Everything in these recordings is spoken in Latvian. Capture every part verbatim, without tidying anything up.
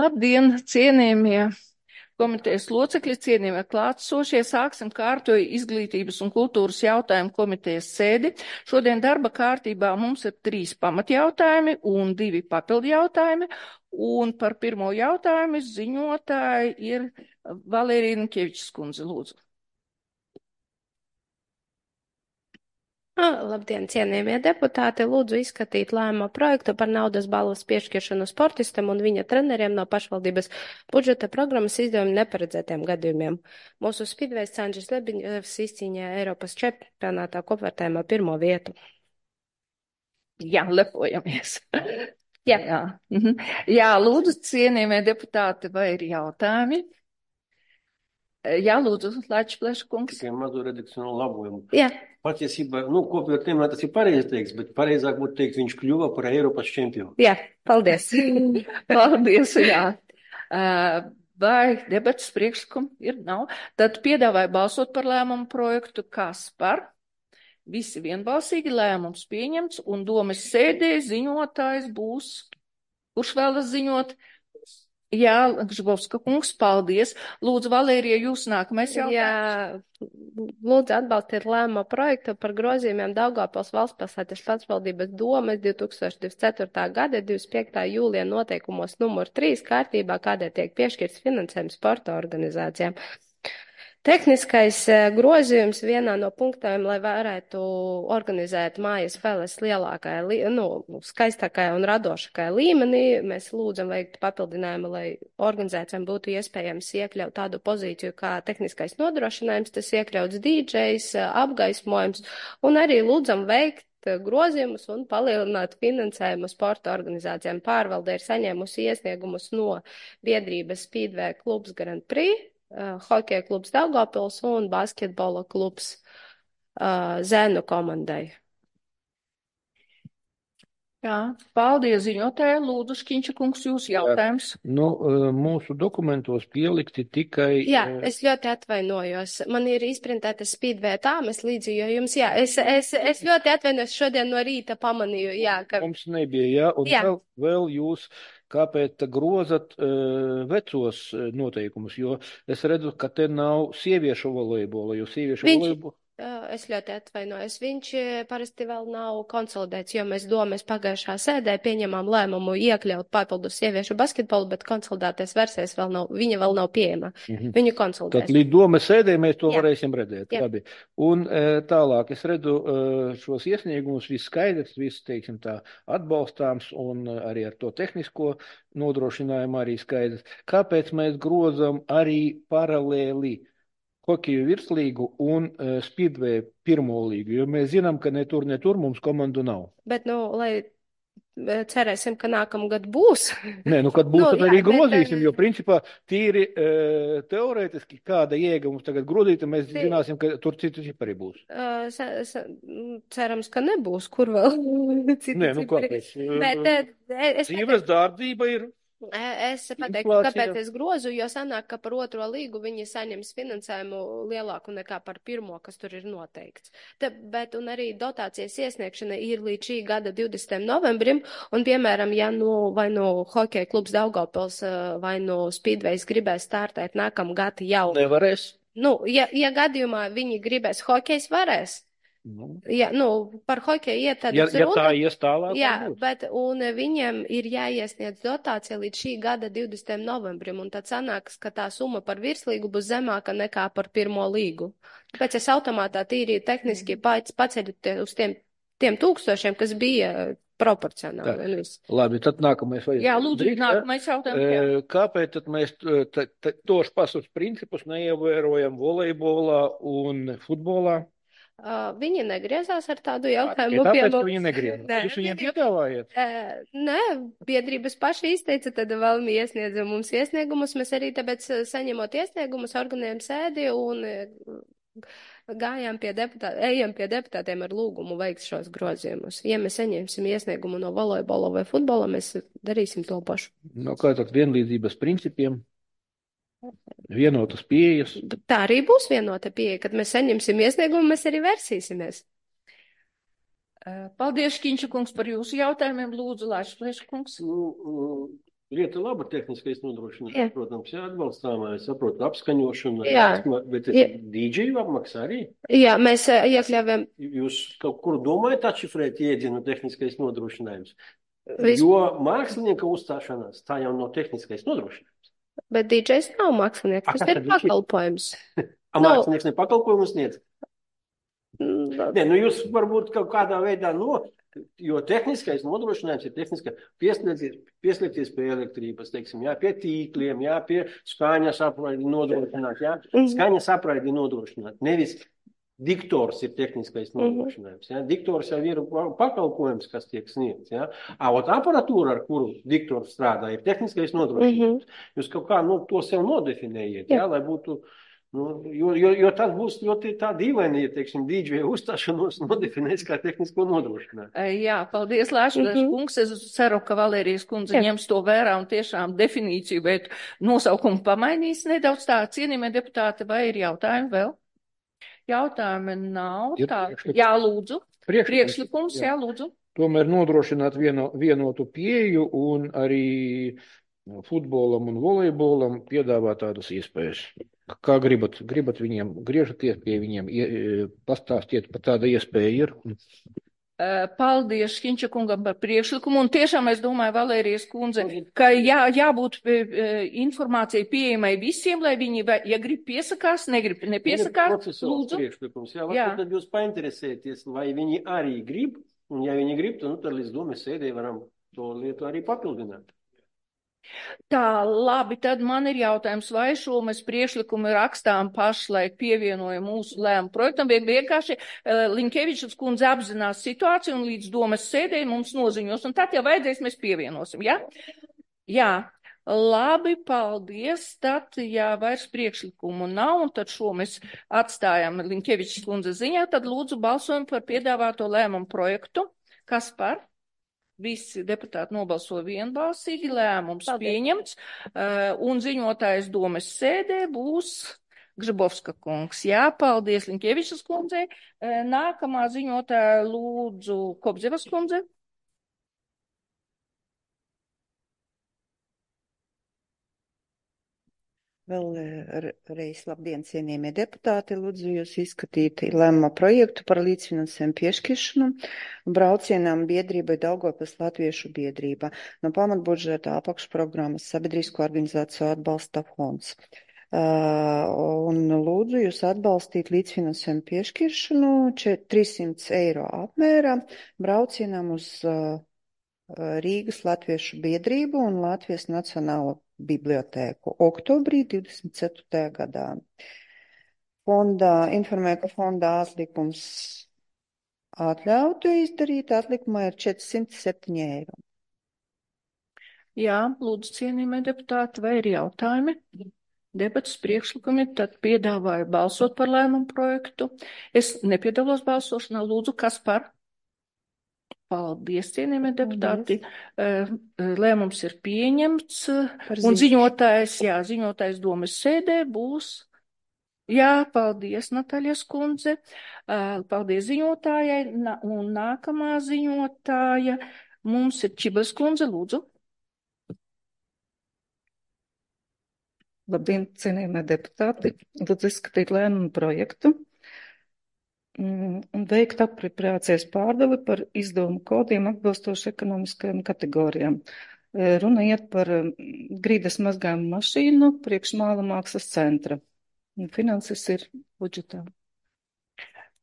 Labdien, cienījamie komitejas locekļi, cienījamie klātsošie. Sāksim kārtoju izglītības un kultūras jautājumu komitejas sēdi. Šodien darba kārtībā mums ir trīs pamatjautājumi un divi papildu jautājumi. Un par pirmo jautājumu ziņotāji ir Valērija Nikevičs kundze, lūdzu. Labdien, cienījamie deputāti! Lūdzu izskatīt lēmumu projektu par naudas balvas piešķiršanu sportistam un viņa treneriem no pašvaldības budžeta programmas izdevuma neparedzētiem gadījumiem. Mūsu spidvejs Sandžis Lebiņevs izcīņoja Eiropas čempionātā kopvērtējumā pirmo vietu. Jā, lepojamies. Jā. Jā. Mhm. Jā, lūdzu, cienījamie deputāti, vai ir jautājumi? Jā, lūdzu, Lāčs Pleškungs. Tikai mazu redakcionālu labojumu. Jā. Patiesībā, nu, kopvērtējumā tas ir pareizi teiks, bet pareizāk būtu teikt, viņš kļuva par Eiropas čempionu. Jā, paldies. Paldies, jā. Vai debatas priekšlikumu ir? Nav. Tad piedāvāju balsot par lēmumu projektu. Kas par? Visi vienbalsīgi lēmums pieņemts un domas sēdē ziņotājs būs. Kurš vēlas ziņot? Jā, Gžbovska kungs, paldies. Lūdzu, Valērija, jūs nākamais jautājums. Jā, lūdzu atbalstiet lēmumu projektu par grozījumiem Daugavpils valstspilsētas pašvaldības domes divi tūkstoši divdesmit ceturtā gada divdesmit piektā jūlijā noteikumos numur trīs kārtībā, kādēļ tiek piešķirts finansējums sporta organizācijām. Tehniskais grozījums vienā no punktiem, lai varētu organizēt mājas spēles lielākajā, nu, skaistākajā un radošākajā līmenī, mēs lūdzam veikt papildinājumu, lai organizācijām būtu iespējams iekļaut tādu pozīciju kā tehniskais nodrošinājums, tas iekļauts dīdžejs, apgaismojums, un arī lūdzam veikt grozījumus un palielināt finansējumu sporta organizācijām. Pārvalde ir saņēmusi iesniegumus no biedrības Speedway klubs Grand Prix, Uh, hokeja klubs Daugavpils un basketbola klubs uh, Zēnu komandai. Jā, paldies ziņotāji. Lūdzu, Škiņša kungs, jūsu jautājums. Jā, nu, mūsu dokumentos pielikti tikai... Jā, es ļoti atvainojos. Man ir izprintēta Speedway tāmes līdzi, jo jums, jā, es, es, es ļoti atvainojos šodien no rīta pamanīju, jā, ka... Mums nebija, jā, un jā. Vēl, vēl jūs... Kāpēc grozat uh, vecos noteikumus, jo es redzu, ka te nav sieviešu volejbola, jo sieviešu Viņš... volejbola... Es ļoti atvainojos. Viņš parasti vēl nav konsolidēts, jo mēs domas pagājušā sēdē pieņemām lēmumu iekļaut papildus sieviešu basketbolu, bet konsolidēties versijas vēl nav, viņa vēl nav pieejama. Mm-hmm. Viņu konsolidēs. Tad līdz domas sēdē mēs to Jā. varēsim redzēt. Jā. Labi. Un tālāk es redzu šos iesniegumus, viss skaidrs, viss, teiksim tā, atbalstāms un arī ar to tehnisko nodrošinājumu arī skaidrs. Kāpēc mēs grozam arī paralēli hokeju virslīgu un uh, Speedway pirmo līgu, jo mēs zinām, ka ne tur, ne tur mums komandu nav. Bet, nu, lai cerēsim, ka nākamgad būs. Nē, nu, kad būs, nu, tad arī jā, grozīsim, bet, jo principā tīri uh, teorētiski, kāda jēga mums tagad grozīt, mēs tī... zināsim, ka tur citu cipari būs. Uh, sa, sa, cerams, ka nebūs, kur vēl citu Nē, nu, cipari. kāpēc? Bet, uh, Dzīves dārdzība ir. Es pateiktu, kāpēc es grozu, jo sanāk, ka par otro līgu viņi saņems finansējumu lielāku nekā par pirmo, kas tur ir noteikts. Te, bet un arī dotācijas iesniegšana ir līdz šī gada divdesmitajam novembrim, un piemēram, ja nu vai nu hokeja klubs Daugavpils vai nu Speedways gribēs startēt nākamgad jau. Nevarēs. Nu, ja, ja gadījumā viņi gribēs, hokejs varēs. Nu. Jā, nu, par hokeju iet tad ja, ja runa. tā ies tālāk. Jā, bet, un viņiem ir jāiesniedz dotācija līdz šī gada divdesmitajam novembrim, un tad sanāks, ka tā summa par virslīgu būs zemāka nekā par pirmo līgu. Tāpēc es automātā tīri tehniski paceļu uz tiem, tiem tūkstošiem, kas bija proporcionāli. Labi, tad nākamais vajag. Jā, lūdzu, Drīk, nākamais jautājums. Kāpēc tad mēs tos pašus principus neievērojam volejbolā un futbolā? Uh, viņi negriezās ar tādu jautājumu. Ja tāpēc, pie mums. Viņi negriezās. Nē, Jūs viņiem piedāvājat? Uh, nē, biedrības paši izteica, tad vēl viņi iesniedza mums iesniegumus. Mēs arī tāpēc saņemot iesniegumus, organizējam sēdi un gājām pie deputātiem, ejam pie deputātiem ar lūgumu veikt šos grozījumus. Ja mēs saņemsim iesniegumu no volejbola vai futbola, mēs darīsim to pašu. No kā tad vienlīdzības principiem? Vienotas pieejas. Tā arī būs vienota pieeja, kad mēs saņemsim iesniegumu, mēs arī versīsimies. Paldies, Škiņša kungs, par jūsu jautājumiem. Lūdzu, Lāčs Pleškungs. Nu, Lieta laba tehniskais nodrošinājums, Jā. protams, jā, atbalstāmā, es saprotu, apskaņošana, Jā. bet tas Jā. dīdžeju apmaksā arī. Jā, mēs eh, iekļāvām Jūs kaut kur domājat atšifrēt iedzienu tehniskais nodrošinājums? Vis... Jo mākslinieka uzstāšanās, tā jau nav tehniskais nodrošinājums. Bet dīdžejs nav mākslinieks, A, tas kas ir tad viņš ir? pakalpojums. A, No. mākslinieks ne pakalpojumu sniedz? Mm, Nē, nu jūs varbūt kaut kādā veidā, no, jo tehniskais nodrošinājums ir tehniska pieslēgties, pieslēgties pie elektrības, teiksim, jā, pie tīkliem, jā, pie skaņas apraidi nodrošināt, jā, Mhm. skaņas apraidi nodrošināt, nevis diktors ir tehniskais nodrošinājums, jā, diktors jau ir pakalpojums, kas tiek sniegts, jā, a, ot aparatūra, ar kuru diktors strādā, ir tehniskais nodrošinājums. Jūs kaut kā, nu, to sev nodefinējiet, jā, Jā. lai būtu. Nu, jo, jo, jo tas būs ļoti tā dīvaini, ja, teiksim, dīdžeja uzstāšanos nodefinēs kā tehnisko nodrošinājumu. Jā, paldies, Lāškas Mhm. kungs. Es ceru, ka Valērijas kundze Jā. ņems to vērā un tiešām definīciju, bet nosaukumu pamainīs nedaudz tā. Cienījamie deputāti, vai ir jautājumi vēl? Jautājumi nav. Ir Tā. priekšlikums. Jā, lūdzu. Priekšlikums, Priekšlikums, jā. jā, lūdzu. Tomēr nodrošināt vieno, vienotu pieju un arī futbolam un volejbolam piedāvā tādas iespējas. Kā gribat, gribat viņiem, griežaties pie viņiem, ie- pastāstiet, par tāda iespēja ir. Eh, Paldies Šķiņša kungam par priekšlikumu, un tiešām es domāju, Valērijas kundze, ka jā, jābūt eh, informācijai pieejamai visiem, lai viņi, vai- ja grib piesakās, negrib nepiesakās, Procesuāls lūdzu. priekšlikums, jā, Jā. varbūt tad jūs painteresēties, vai viņi arī grib, un ja viņi grib, tad, nu, tad līdz domas sēdē varam to lietu arī papildināt. Tā, labi, tad man ir jautājums, vai šo mēs priekšlikumu rakstām pašlaik pievienojam mūsu lēmumu projektam, vai vienkārši uh, Linkevičs kundze apzinās situāciju un līdz domas sēdē mums noziņos, un tad, ja vajadzēs, mēs pievienosim, jā? Jā, labi, paldies, tad, ja vairs priekšlikumu nav, un tad šo mēs atstājam Linkevičs kundze ziņā, tad lūdzu balsojam par piedāvāto lēmumu projektu. Kas par? Visi deputāti nobalso vienbalsīgi, lēmums Paldies. pieņemts, uh, un ziņotājs domas sēdē būs Gžibovska kungs. Jā, paldies Linkievičas kundzei. Uh, nākamā ziņotāja lūdzu Kobzevas kundze. Vēlreiz labdien, cienījamie deputāti, lūdzu jūs izskatīt lēmuma projektu par līdzfinansējumu piešķiršanu braucienām biedrībai Daugavpils Latviešu biedrība no pamatbudžeta apakšprogrammas Sabiedrisko organizāciju atbalsta fonds. Uh, un lūdzu jūs atbalstīt līdzfinansējumu piešķiršanu trīssimts eiro apmērā braucienām uz uh, Rīgas Latviešu biedrību un Latvijas Nacionālo bibliotēku oktobrī divdesmit ceturtajā gadā. Fondā, informē, ka fondā atlikums atļautu izdarīt, atlikumā ir četrsimt septiņi eiro. Jā, lūdzu cienījamie deputāti, vai ir jautājumi? Debatas priekšlikumi, tad piedāvāju balsot par lēmumu projektu. Es nepiedalos balsošanā, lūdzu, kas par? Paldies, cienījamie deputāti. Lēmums ir pieņemts, un ziņotājs, jā, ziņotājs domas sēdē būs. Jā, paldies, Natāļas kundze. Paldies ziņotājai, un nākamā ziņotāja mums ir Čibas kundze, lūdzu. Labdien, cienījamie deputāti. Lūdzu izskatīt lēmumu projektu un veikt apropriācijas pārdali par izdevumu kodiem atbilstoši ekonomiskajām kategorijām. Runa iet par grīdas mazgājumu mašīnu priekš Māla mākslas centra. Finanses ir budžetā.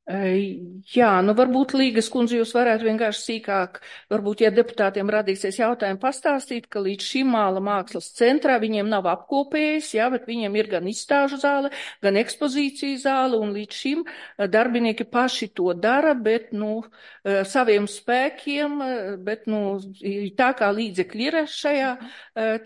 Jā, nu varbūt Līgas kundze jūs varētu vienkārši sīkāk, varbūt, ja deputātiem radīsies jautājumi pastāstīt, ka līdz šim Māla mākslas centrā viņiem nav apkopējis, jā, bet viņiem ir gan izstāžu zāle, gan ekspozīciju zāle, un līdz šim darbinieki paši to dara, bet, nu, saviem spēkiem, bet, nu, tā kā līdzekļi ir šajā,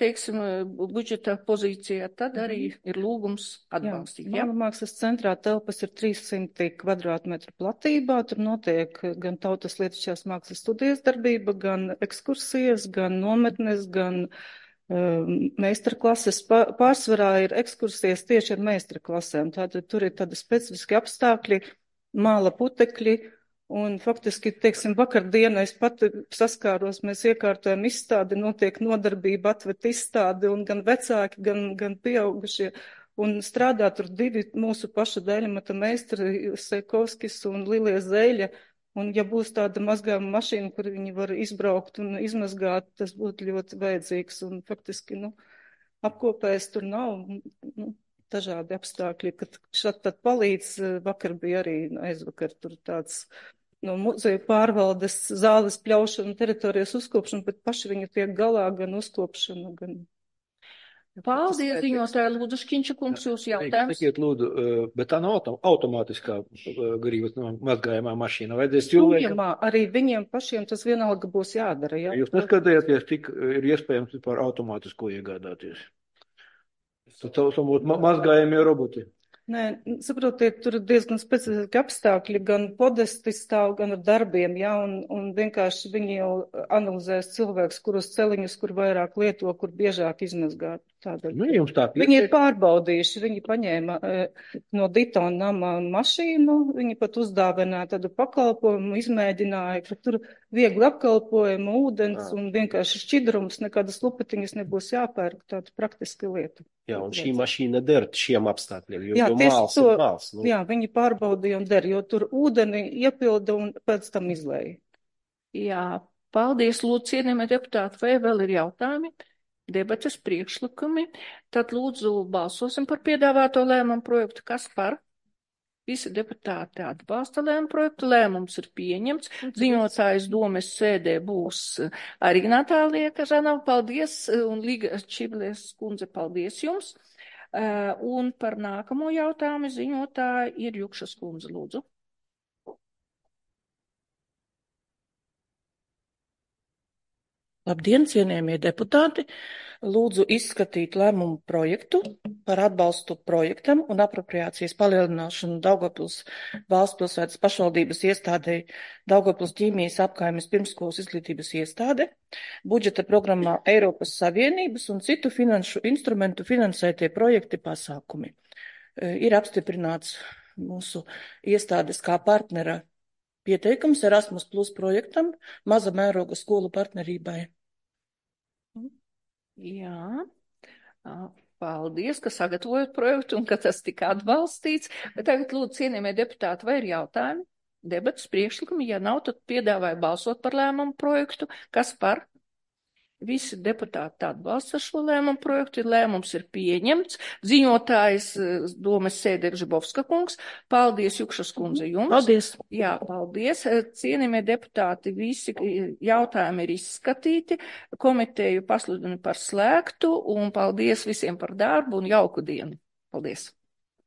teiksim, budžeta pozīcijā, tad arī ir lūgums atbalstīt. Jā, Māla mākslas centrā telpas ir trīssimti kvadrātmetru metru platībā, tur notiek gan tautas lietišķās mākslas studijas darbība, gan ekskursijas, gan nometnes, gan um, meistarklases. Pārsvarā ir ekskursijas tieši ar meistarklasēm, tātad tur ir tādi specifiski apstākļi, māla putekļi Un faktiski, teiksim, vakardienā es pat saskāros, mēs iekārtojam izstādi, notiek nodarbība, atved izstādi, un gan vecāki, gan, gan pieaugušie, un strādā tur divi mūsu paša dēļamata meistari, Seikovskis un Lilie Zeļa, un ja būs tāda mazgājuma mašīna, kur viņi var izbraukt un izmazgāt, tas būtu ļoti vajadzīgs, un faktiski, nu, apkopējs tur nav, nu, dažādi apstākļi, kad šat tad palīdz, vakar bija arī aizvakar tur tāds no muzeja pārvaldes zāles pļaušana, teritorijas uzkopšana, bet paši viņi tiek galā gan uzkopšana, gan. Paldies, ziņotāji, Lūdzu, Škiņša kungs, jūs jautājums. Sakiet, Lūdzu, bet tā nav autom automātiskā grības mazgājumā mašīna. Vajadzēs cilvēkam. Tujamā, arī viņiem pašiem tas vienalga būs jādara. Jā? Jūs neskatījāties, cik ir iespējams par automātisko iegādāties? Tad saucamot ma mazgājumie roboti. Nē, saprotiet, tur ir diezgan specifiski apstākļi, gan podesti stāv, gan ar darbiem, jā, un, un vienkārši viņi jau analizēs cilvēks, kurus celiņus, kur vairāk lieto, kur biežāk izmazgāt. Tādēļ. Nu, jums tā viņi ir pārbaudījuši, viņi paņēma e, no Ditona nama mašīnu, viņi pat uzdāvināja tādu pakalpojumu, izmēģināja, ka tur viegli apkalpojumu, ūdens Jā. Un vienkārši šķidrums, nekādas lupetiņas nebūs jāpērk, tāda praktiska lieta. Jā, un šī mašīna der šiem apstākļiem, jo, jā, jo māls to, ir māls. Nu. Jā, viņi pārbaudīja un der, jo tur ūdeni iepilda un pēc tam izlēja. Jā, paldies, lūdzu, cienījamie deputāti, vai vēl ir jautājumi? Debates priekšlikumi, tad lūdzu balsosim par piedāvāto lēmumu projektu. Kas par? Visi deputāti atbalsta lēmumu projektu. Lēmums ir pieņemts. Ziņotājs domes sēdē būs arī Natālija Kažanova. Paldies, un Līga Čiblēs kundze, paldies jums. Un par nākamo jautājumu ziņotāja ir Jukšas kundze, lūdzu. Labdien, cienījamie deputāti! Lūdzu izskatīt lēmumu projektu par atbalstu projektam un apropriācijas palielināšanu Daugavpils valstspilsētas pašvaldības iestādei Daugavpils ķīmijas apkaimes pirmskolas izglītības iestāde, budžeta programmā Eiropas Savienības un citu finanšu instrumentu finansētie projekti pasākumi. Ir apstiprināts mūsu iestādes kā partnera pieteikums Erasmus Plus projektam maza mēroga skolu partnerībai. Jā, paldies, ka sagatavojat projektu un ka tas tika atbalstīts. Bet tagad lūdzu cienījamie deputāti, vai ir jautājumi? Debatas priekšlikumi, ja nav, tad piedāvāju balsot par lēmumu projektu. Kas par? Visi deputāti atbalsta šo lēmumu projektu, lēmums ir pieņemts. Ziņotājs domes sēdē Žibovska kungs. Paldies, Jukšas kundze, jums. Paldies. Jā, paldies. Cienījamie deputāti, visi jautājumi ir izskatīti. Komiteju pasludinu par slēgtu un paldies visiem par darbu un jauku dienu. Paldies.